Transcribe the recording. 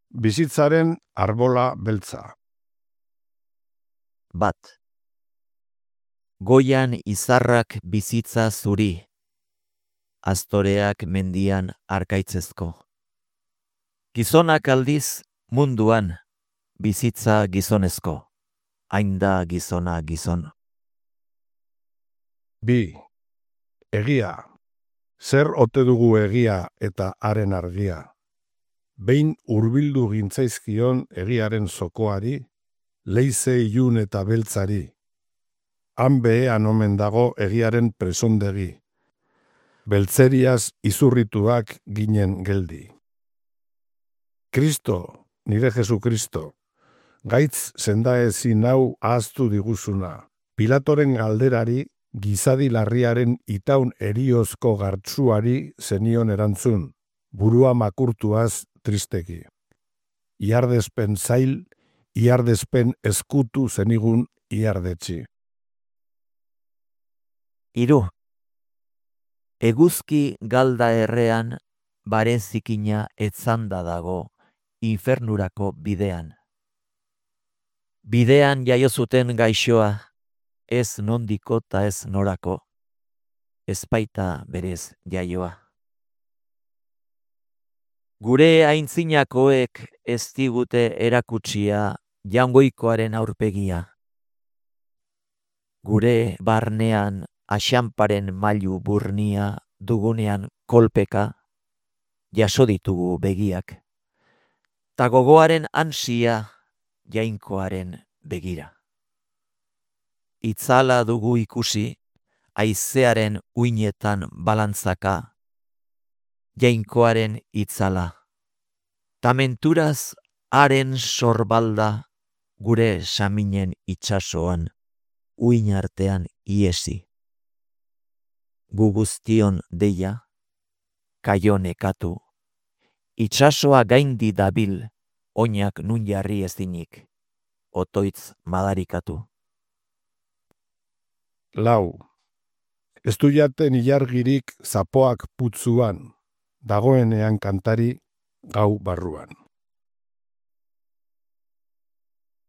Bizitzaren arbola beltza. Bat. Goian izarrak bizitza zuri, astoreak mendian arkaitzezko. Gizonak aldiz munduan bizitza gizonezko, hain da gizona gizon. Bi. Egia. Zer ote dugu egia eta haren argia? Behin hurbildu gintzaizkion egiaren zokoari, leize ilun eta beltzari. Han behean omen dago egiaren presondegi. Beltzeriaz izurrituak ginen geldi. Kristo, nire Jesukristo, gaitz sendaezin hau ahaztu diguzuna. Pilatoren galderari, gizadi larriaren itaun eriozko gartzuari zenion erantzun, burua makurtuaz tristeki. Iardespen zail, iardespen eskutu zenigun iardetxi. Hiru. Eguzki galda errean bare zikina etzanda dago infernurako bidean. Bidean jaio zuten gaixoa, ez nondiko ta ez norako, ez baita berez jaioa. Gure aintzinakoek ez digute erakutsia jangoikoaren aurpegia. Gure barnean axanparen mailu burnia dugunean kolpeka, jaso ditugu begiak, ta gogoaren ansia jainkoaren begira. Itzala dugu ikusi, haizearen uinetan balantzaka, jainkoaren itzala. Ta menturaz haren sorbalda gure saminen itsasoan, uin artean iesi. Gu guztion deia, kaio nekatu, itsasoa gaindi dabil, oinak nun jarri ezinik, otoitz madarikatu. Lau. Ez du jaten ilargirik zapoak putzuan, dagoenean kantari gau barruan.